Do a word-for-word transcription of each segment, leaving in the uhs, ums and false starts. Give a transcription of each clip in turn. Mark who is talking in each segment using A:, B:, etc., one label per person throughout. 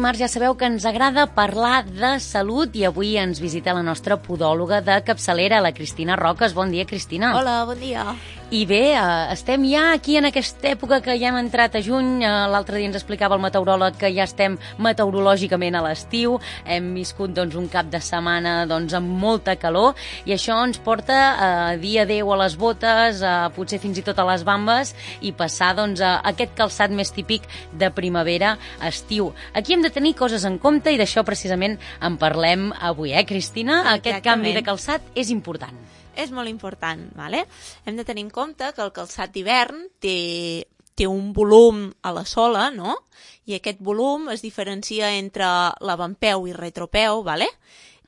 A: dimarts ja sabeu que ens agrada parlar de salut i avui ens visita la nostra podòloga de capçalera, la Cristina Roques. Bon dia, Cristina.
B: Hola, bon dia.
A: I bé, eh, estem ja aquí en aquesta època que ja hem entrat a juny. Eh, L'altre dia ens explicava el meteoròleg que ja estem meteorològicament a l'estiu. Hem viscut doncs, un cap de setmana doncs, amb molta calor i això ens porta a dir adéu a les botes, a, potser fins i tot a les bambes i passar doncs, a aquest calçat més típic de primavera-estiu. Aquí hem de tenir coses en compte i d'això precisament en parlem avui, eh, Cristina?
B: Exactament.
A: Aquest canvi de calçat és important.
B: És molt important, vale? Hem de tenir en compte que el calçat d'hivern té, té un volum a la sola, no? I aquest volum es diferencia entre l'avantpeu i retropeu, vale?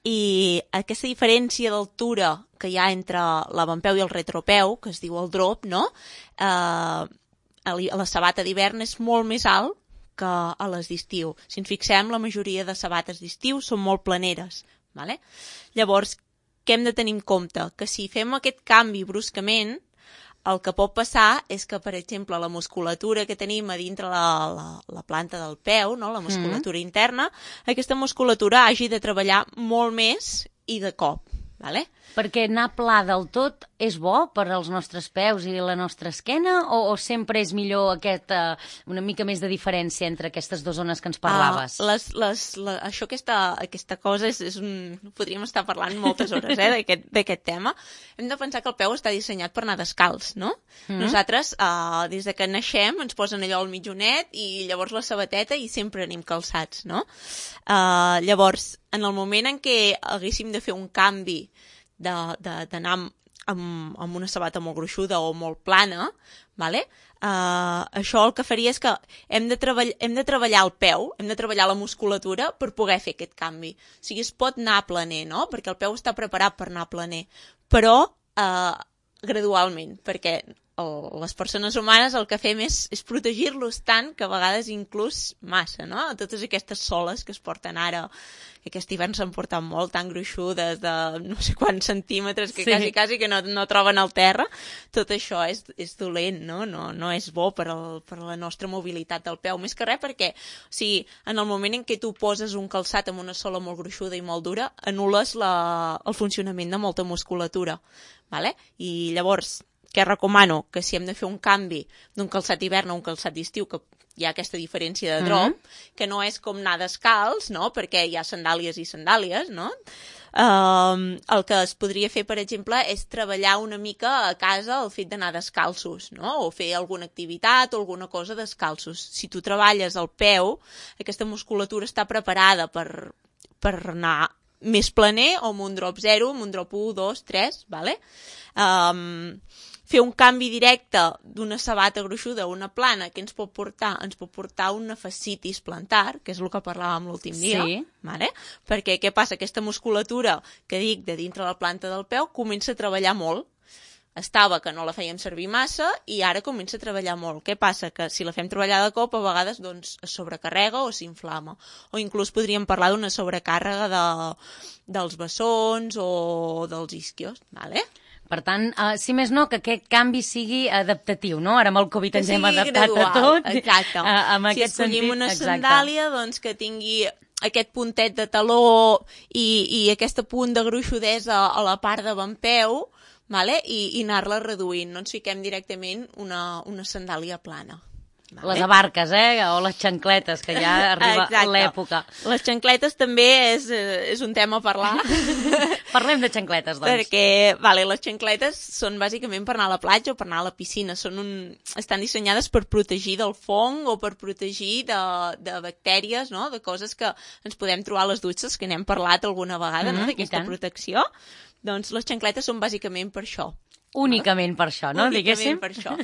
B: I aquesta diferència d'altura que hi ha entre l'avantpeu i el retropeu, que es diu el drop, no? Eh, a la sabata d'hivern és molt més alt que a les d'estiu. Si ens fixem, la majoria de sabates d'estiu són molt planeres, vale? Llavors, què hem de tenir en compte? Que si fem aquest canvi bruscament, el que pot passar és que, per exemple, la musculatura que tenim a dintre la, la, la planta del peu, no? La musculatura mm. interna, aquesta musculatura hagi de treballar molt més i de cop, vale?
A: Perquè anar pla del tot és bo per als nostres peus i la nostra esquena o, o sempre és millor aquesta, una mica més de diferència entre aquestes dues zones que ens parlaves?
B: Uh, les, les, la, això, aquesta, aquesta cosa és, és un... Podríem estar parlant moltes hores eh, d'aquest tema. Hem de pensar que el peu està dissenyat per anar descalç, no? Mm. Nosaltres, uh, des de que naixem, ens posen allò al mitjonet i llavors la sabateta i sempre anem calçats, no? Uh, llavors, en el moment en què haguéssim de fer un canvi d'anar amb, amb, amb una sabata molt gruixuda o molt plana, vale? uh, això el que faria és que hem de, treball, hem de treballar el peu, hem de treballar la musculatura per poder fer aquest canvi. O sigui, es pot anar planer, no? Perquè el peu està preparat per anar planer, però uh, gradualment, perquè el, les persones humanes el que fem és, és protegir-los tant que a vegades inclús massa, no? Totes aquestes soles que es porten ara, que aquest hivern s'han portat molt, tan gruixudes, de no sé quants centímetres, que sí. quasi, quasi que no, no troben al terra, tot això és, és dolent, no? No, no és bo per, el, per la nostra mobilitat del peu. Més que res perquè, o sigui, en el moment en què tu poses un calçat amb una sola molt gruixuda i molt dura, anules la, el funcionament de molta musculatura, vale? I llavors, què recomano? Que si hem de fer un canvi d'un calçat d'hivern a un calçat d'estiu, que hi ha aquesta diferència de drop, mm-hmm. que no és com anar descalç, no? Perquè hi ha sandàlies i sandàlies, no? Uh, el que es podria fer, per exemple, és treballar una mica a casa el fet d'anar descalços, no? O fer alguna activitat o alguna cosa descalços. Si tu treballes el peu, aquesta musculatura està preparada per, per anar més planer o amb un drop zero, amb un drop u, dos, tres, vale? Um, fer un canvi directe d'una sabata gruixuda a una plana que ens pot portar ens pot portar una fascitis plantar, que és el que parlàvem l'últim dia,
A: sí.
B: vale? Perquè què passa? Aquesta musculatura que dic de dintre la planta del peu comença a treballar molt. Estava que no la fèiem servir massa i ara comença a treballar molt. Què passa? Que si la fem treballar de cop, a vegades doncs, es sobrecarrega o s'inflama. O inclús podríem parlar d'una sobrecàrrega de, dels bessons o dels isquios, vale?
A: Per tant, uh, si més no, que aquest canvi sigui adaptatiu, no? Ara amb el Covid ens hem adaptat
B: gradual,
A: a tot.
B: Exacte.
A: Uh, amb
B: si
A: aquest
B: escollim
A: sentit,
B: una
A: exacte.
B: sandàlia, doncs que tingui aquest puntet de taló i, i aquest punt de gruixudesa a la part d'avantpeu, vale? I, i anar-la reduint. No ens fiquem directament una, una sandàlia plana. Vale.
A: Les abarques, eh? O les xancletes, que ja arriba
B: Exacte.
A: L'època.
B: Les xancletes també és, és un tema a parlar.
A: Parlem de xancletes, doncs.
B: Perquè, vale, les xancletes són bàsicament per anar a la platja o per anar a la piscina. Són un, estan dissenyades per protegir del fong o per protegir de, de bactèries, no? De coses que ens podem trobar a les dutxes, que n'hem parlat alguna vegada, mm-hmm, no? D'aquesta protecció. Doncs les xancletes són bàsicament per això.
A: Únicament per això, no?
B: Únicament
A: Diguéssim.
B: per això.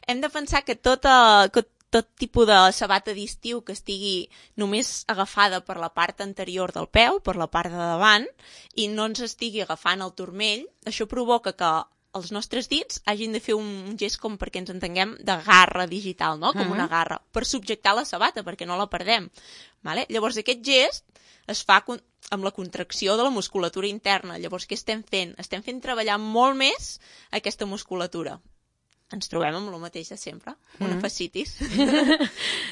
B: Hem de pensar que tota, que tot tipus de sabata d'estiu que estigui només agafada per la part anterior del peu, per la part de davant, i no ens estigui agafant el turmell, això provoca que els nostres dits hagin de fer un gest com perquè ens entenguem de garra digital, no? Com una garra, per subjectar la sabata, perquè no la perdem. Vale? Llavors aquest gest es fa amb la contracció de la musculatura interna. Llavors què estem fent? Estem fent treballar molt més aquesta musculatura. ens trobem amb el mateix de sempre, una fascitis.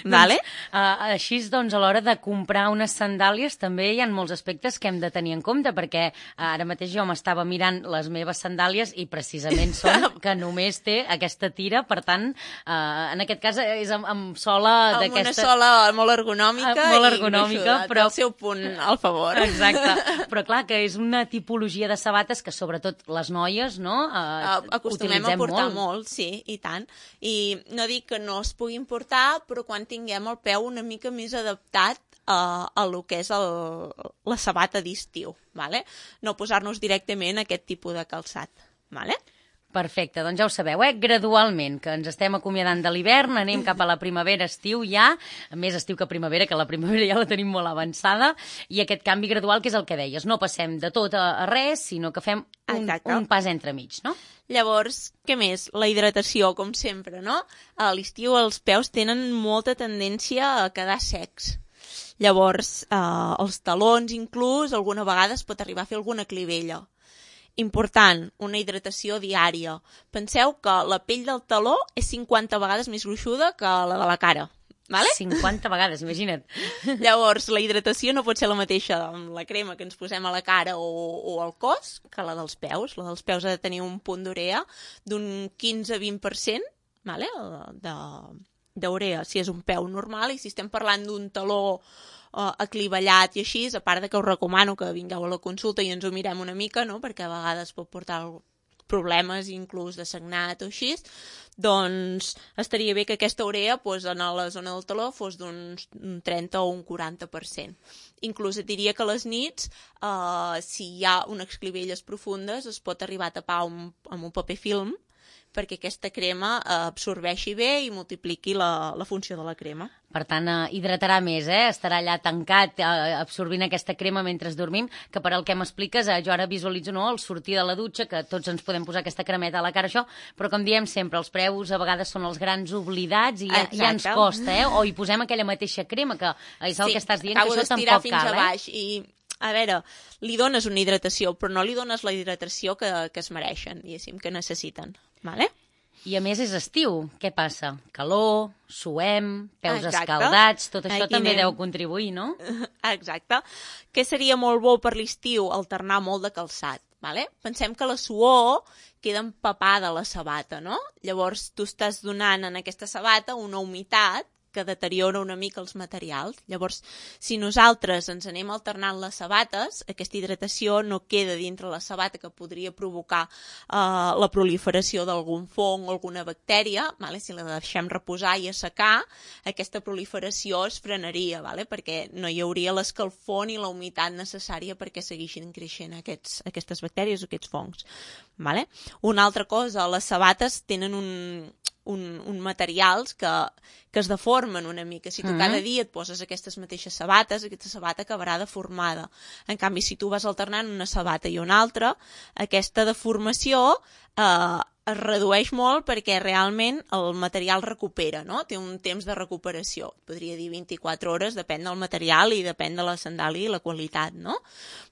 B: Vale?
A: Uh, així, doncs, a l'hora de comprar unes sandàlies també hi ha molts aspectes que hem de tenir en compte, perquè ara mateix jo m'estava mirant les meves sandàlies i precisament són que només té aquesta tira, per tant, uh, en aquest cas és amb, amb sola d'aquesta...
B: Amb una sola molt ergonòmica,
A: uh, molt ergonòmica
B: i
A: però...
B: del seu punt al favor.
A: Exacte, però clar, que és una tipologia de sabates que sobretot les noies, no?, uh,
B: uh, acostumem a portar molt, molt sí. Sí, i tant. I no dic que no es puguin portar, però quan tinguem el peu una mica més adaptat a, a lo que és el, la sabata d'estiu, ¿vale? No posar-nos directament aquest tipus de calçat, ¿vale?
A: Perfecte, doncs ja ho sabeu, eh? Gradualment, que ens estem acomiadant de l'hivern, anem cap a la primavera, estiu ja, més estiu que primavera, que la primavera ja la tenim molt avançada, i aquest canvi gradual, que és el que deies, no passem de tot a, a res, sinó que fem un, un pas entremig, no?
B: Llavors, què més? La hidratació, com sempre, no? A l'estiu els peus tenen molta tendència a quedar secs. Llavors, eh, els talons inclús, alguna vegada es pot arribar a fer alguna clivella. Important, una hidratació diària. Penseu que la pell del taló és cinquanta vegades més gruixuda que la de la cara. Vale?
A: cinquanta vegades, imagina't.
B: Llavors, la hidratació no pot ser la mateixa amb la crema que ens posem a la cara o, o al cos que la dels peus. La dels peus ha de tenir un punt d'urea d'un quinze a vint per cent, vale? de, d'urea si és un peu normal, i si estem parlant d'un taló uh, aclivellat i així, a part de que us recomano que vingueu a la consulta i ens ho mirem una mica, no? Perquè a vegades pot portar problemes inclús de sagnat o així, doncs estaria bé que aquesta urea pues, en la zona del taló fos d'un trenta o un quaranta per cent. Inclús et diria que a les nits, eh, si hi ha unes clivelles profundes, es pot arribar a tapar un, amb un paper film perquè aquesta crema eh, absorbeixi bé i multipliqui la, la funció de la crema.
A: Per tant, eh, hidratarà més, eh? Estarà allà tancat, eh, absorbint aquesta crema mentre dormim, que per al que m'expliques, eh, jo ara visualitzo no, el sortir de la dutxa, que tots ens podem posar aquesta cremeta a la cara, això, però com diem sempre, els preus a vegades són els grans oblidats i ja, ja ens costa, eh? O hi posem aquella mateixa crema, que és el
B: sí,
A: que estàs dient, que això tampoc
B: fins
A: cal,
B: a baix,
A: eh?
B: I a veure, li dones una hidratació, però no li dones la hidratació que, que es mereixen, diguéssim, que necessiten, vale?
A: I a més és estiu, què passa? Calor, suem, peus
B: Exacte.
A: Escaldats, tot això
B: Aquí
A: també
B: anem.
A: deu contribuir, no?
B: Exacte. Què seria molt bo per l'estiu? Alternar molt de calçat, vale? Pensem que la suor queda empapada a la sabata, no? Llavors tu estàs donant en aquesta sabata una humitat que deteriora una mica els materials. Llavors, si nosaltres ens anem alternant les sabates, aquesta hidratació no queda dintre la sabata, que podria provocar eh, la proliferació d'algun fong o alguna bactèria. Vale? Si la deixem reposar i assecar, aquesta proliferació es frenaria, vale? Perquè no hi hauria l'escalfor ni la humitat necessària perquè segueixin creixent aquests, aquestes bactèries o aquests fongs. Vale? Una altra cosa, les sabates tenen un... Un, un materials que, que es deformen una mica. Si tu mm-hmm. cada dia et poses aquestes mateixes sabates, aquesta sabata acabarà deformada. En canvi, si tu vas alternant una sabata i una altra, aquesta deformació eh, es redueix molt perquè realment el material recupera, no? Té un temps de recuperació. Podria dir vint-i-quatre hores, depèn del material i depèn de la sandàlia i la qualitat, no?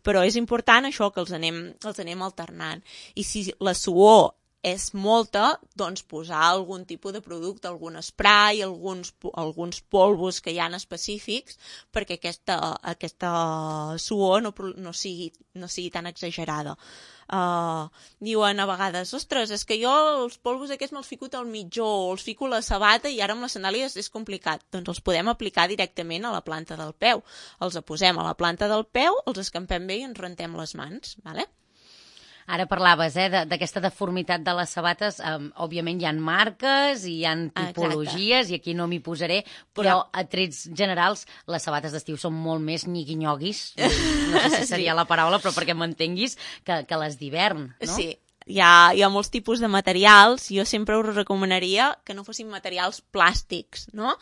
B: Però és important això, que els anem, els anem alternant. I si la suor és molta, doncs posar algun tipus de producte, algun spray, alguns, alguns polvos que hi ha específics, perquè aquesta, aquesta suor no, no, sigui, no sigui tan exagerada. Uh, diuen a vegades, ostres, és que jo els polvos aquests me'ls fico al mitjó, o els fico a la sabata i ara amb les sandàlies és complicat. Doncs els podem aplicar directament a la planta del peu. Els posem a la planta del peu, els escampem bé i ens rentem les mans, vale?
A: Ara parlaves eh, d'aquesta de, deformitat de les sabates, um, òbviament hi ha marques i hi ha tipologies, exacte. I aquí no m'hi posaré, però ja. A trets generals les sabates d'estiu són molt més nyigui-nyoguis, no sé si seria sí. La paraula, però perquè m'entenguis, que, que les d'hivern, no?
B: Sí, hi ha, hi ha molts tipus de materials, jo sempre us recomanaria que no fossin materials plàstics, no?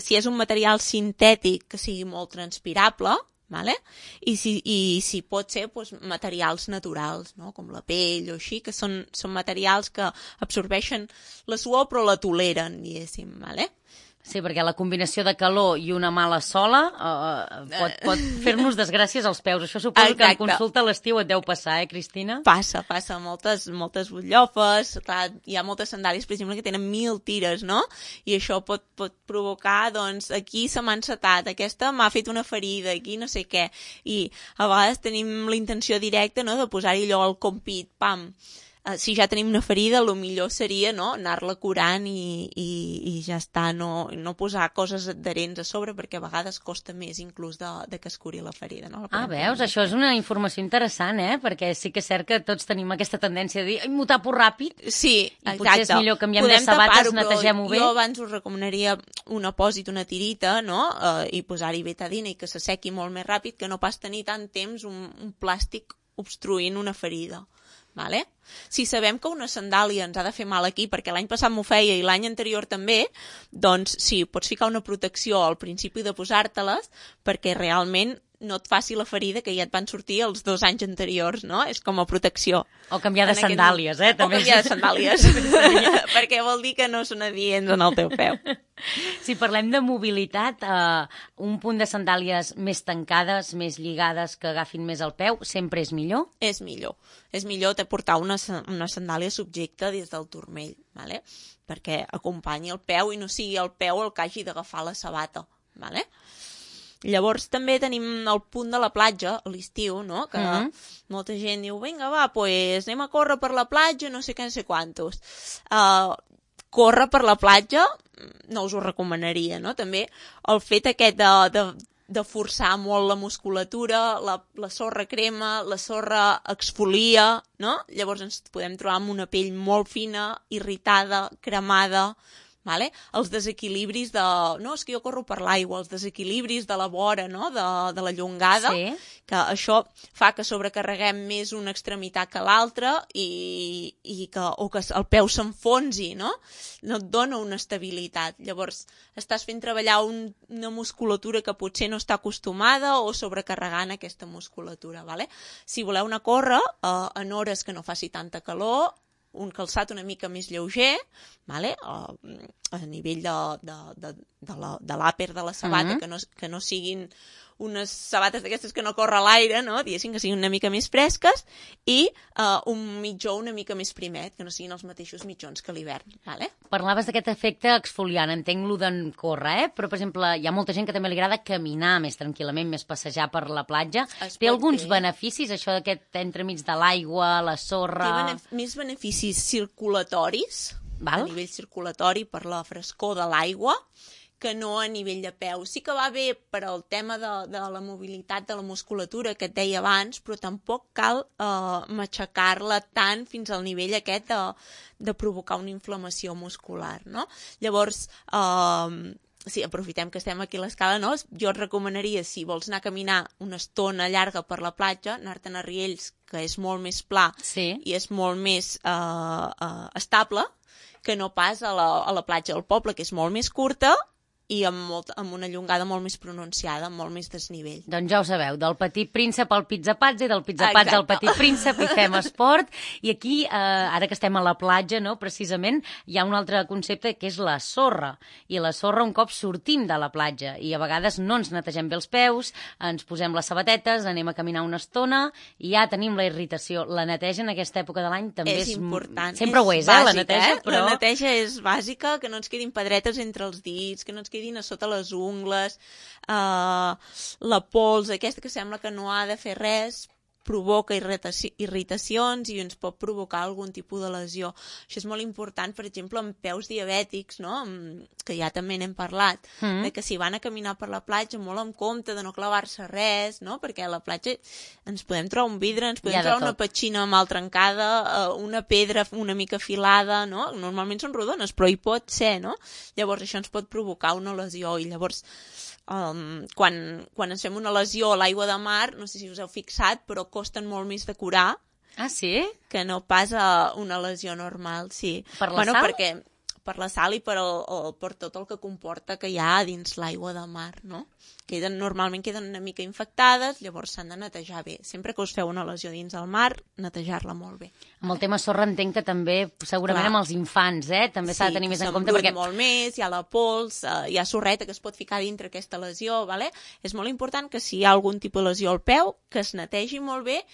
B: Si és un material sintètic que sigui molt transpirable, vale? I, si, i si pot ser doncs, materials naturals, no? Com la pell o així, que són, són materials que absorbeixen la suor però la toleren, diguéssim. Vale?
A: Sí, perquè la combinació de calor i una mala sola uh, pot, pot fer-nos desgràcies als peus. Això suposo Exacte. que en consulta a l'estiu et deu passar, eh, Cristina?
B: Passa, passa. Moltes, moltes butllofes. Clar, hi ha moltes sandàlies, per exemple, que tenen mil tires, no? I això pot, pot provocar, doncs, aquí se m'ha encetat, aquesta m'ha fet una ferida, aquí no sé què. I a vegades tenim la intenció directa, no?, de posar-hi allò al compit, pam. Uh, si ja tenim una ferida, el millor seria, no?, anar-la curant i, i, i ja està, no, no posar coses adherents a sobre, perquè a vegades costa més inclús de, de que es curi la ferida. No? La
A: ah, veus? Això és una informació interessant, eh? Perquè sí que és cert que tots tenim aquesta tendència de dir ai, m'ho tapo ràpid.
B: Sí, exacte.
A: I potser és millor canviem Podem de sabates, netegem-ho bé.
B: Jo abans us recomanaria un apòsit, una tirita, no?, uh, i posar-hi betadina i que s'assequi molt més ràpid, que no pas tenir tant temps un, un plàstic obstruint una ferida. Vale? Si sabem que una sandàlia ens ha de fer mal aquí, perquè l'any passat m'ho feia i l'any anterior també, doncs sí, pots ficar una protecció al principi de posar-te-les perquè realment no et faci la ferida que ja et van sortir els dos anys anteriors, no? És com a protecció.
A: O canviar de sandàlies, eh?
B: També. O canviar de sandàlies, perquè vol dir que no són adients en el teu peu.
A: Si parlem de mobilitat, eh, un punt de sandàlies més tancades, més lligades, que agafin més el peu, sempre és millor?
B: És millor. És millor te portar una, una sandàlia subjecta des del turmell, vale? Perquè acompanyi el peu i no sigui el peu el que hagi d'agafar la sabata. Vale? Llavors també tenim el punt de la platja a l'estiu, no? Que mm-hmm. molta gent diu, vinga, va, pues anem a córrer per la platja, no sé què, no sé quantos. Uh, córrer per la platja no us ho recomanaria, no? També el fet aquest de, de, de forçar molt la musculatura, la, la sorra crema, la sorra exfolia, no? Llavors ens podem trobar amb una pell molt fina, irritada, cremada. Vale? Els desequilibris de... No, és que jo corro per l'aigua, els desequilibris de la vora, no?, de, de la llongada, sí. Que això fa que sobrecarreguem més una extremitat que l'altra i, i que, o que el peu s'enfonsi, no? No et dona una estabilitat. Llavors, estàs fent treballar un, una musculatura que potser no està acostumada o sobrecarregant aquesta musculatura, vale? Si voleu anar a córrer eh, en hores que no faci tanta calor, un calçat una mica més lleuger, vale? a, a nivell de, de, de, de, la, de l'àper de la sabata, mm-hmm. que, no, que no siguin unes sabates d'aquestes que no corre a l'aire, no? Diguéssim que siguin una mica més fresques, i uh, un mitjó una mica més primet, que no siguin els mateixos mitjons que l'hivern. Vale?
A: Parlaves d'aquest efecte exfoliant, entenc lo d'en córrer, eh? Però, per exemple, hi ha molta gent que també li agrada caminar més tranquil·lament, més passejar per la platja. Es Té alguns fer. beneficis, això d'aquest entremig de l'aigua, la sorra...
B: Té benef més beneficis circulatoris, Val? a nivell circulatori per la frescor de l'aigua, que no a nivell de peu. Sí que va bé per al tema de, de la mobilitat de la musculatura que et deia abans, però tampoc cal eh, matxacar-la tant fins al nivell aquest de, de provocar una inflamació muscular, no? Llavors, eh, sí, aprofitem que estem aquí a l'escala, no? Jo et recomanaria, si vols anar a caminar una estona llarga per la platja, anar-te'n a Riells, que és molt més pla sí. i és molt més eh, eh, estable, que no pas a la, a la platja del poble, que és molt més curta, i amb, molt, amb una llongada molt més pronunciada, amb molt més desnivell.
A: Doncs ja ho sabeu, del Petit Príncep al Pizzapazzi, del Pizzapazzi al Petit Príncep, i fem esport. I aquí, eh, ara que estem a la platja, no, precisament, hi ha un altre concepte que és la sorra. I la sorra un cop sortim de la platja. I a vegades no ens netegem bé els peus, ens posem les sabatetes, anem a caminar una estona i ja tenim la irritació. La neteja en aquesta època de l'any també és...
B: És important.
A: Sempre
B: és
A: ho és,
B: bàsica,
A: eh, la neteja,
B: eh?
A: però...
B: La neteja és bàsica, que no ens quedin pedretes entre els dits, que no ens quedin a sota les ungles, uh, la pols aquesta que sembla que no ha de fer res, provoca irritaci irritacions i ens pot provocar algun tipus de lesió. Això és molt important, per exemple, amb peus diabètics, no? Que ja també n'hem parlat, mm. de que si van a caminar per la platja, molt en compte de no clavar-se res, no? Perquè a la platja ens podem trobar un vidre, ens podem ja trobar una petxina mal trencada, una pedra una mica afilada, no? Normalment són rodones, però hi pot ser, no? Llavors això ens pot provocar una lesió i llavors Um, quan, quan ens fem una lesió a l'aigua de mar, no sé si us heu fixat, però costen molt més de curar.
A: Ah, sí?
B: Que no pas a una lesió normal, sí.
A: Per la
B: bueno,
A: sal?
B: Perquè, per la sal i per, el, el, per tot el que comporta que hi ha dins l'aigua de mar, no? Queden, normalment queden una mica infectades, llavors s'han de netejar bé. Sempre que us feu una lesió dins el mar, netejar-la molt bé.
A: Amb el tema sorra entenc que també, segurament
B: Clar.
A: amb els infants, eh? També s'ha
B: Sí,
A: de tenir més en
B: que
A: compte perquè...
B: molt més, hi ha la pols, eh, hi ha sorreta que es pot ficar dintre aquesta lesió, vale? És molt important que si hi ha algun tipus de lesió al peu, que es netegi molt bé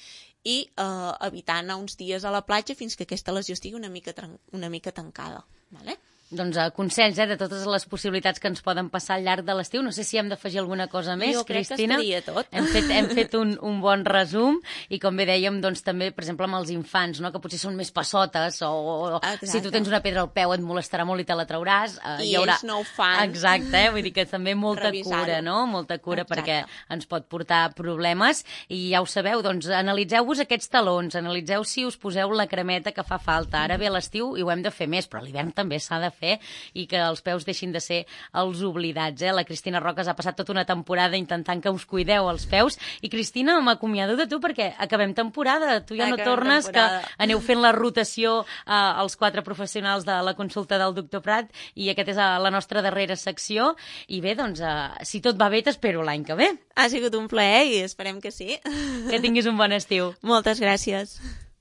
B: i eh, evitar anar uns dies a la platja fins que aquesta lesió estigui una mica, una mica tancada, vale?
A: Doncs uh, consells, eh, de totes les possibilitats que ens poden passar al llarg de l'estiu. No sé si hem d'afegir alguna cosa més,
B: jo
A: Cristina.
B: Jo crec que estaria tot.
A: Hem fet, hem fet un, un bon resum i, com bé dèiem, doncs també, per exemple, amb els infants, no?, que potser són més passotes o, o si tu tens una pedra al peu et molestarà molt i te la trauràs. Uh,
B: I
A: hi haurà...
B: ells no ho fan.
A: Exacte, eh? Vull dir que també molta cura, no? Molta cura. Exacte. Perquè ens pot portar problemes i ja ho sabeu, doncs analitzeu-vos aquests talons, analitzeu si us poseu la cremeta que fa falta. Ara ve l'estiu i ho hem de fer més, però a l'hivern també s'ha de fer i que els peus deixin de ser els oblidats, eh? La Cristina Roques ha passat tota una temporada intentant que us cuideu els peus i, Cristina, m'acomiado de tu perquè acabem temporada, tu ja no
B: Acabem
A: tornes,
B: temporada.
A: Que aneu fent la rotació eh, als quatre professionals de la consulta del doctor Prat i aquesta és la nostra darrera secció i bé, doncs, eh, si tot va bé t'espero l'any que ve.
B: Ha sigut un plaer i esperem que sí.
A: Que tinguis un bon estiu.
B: Moltes gràcies.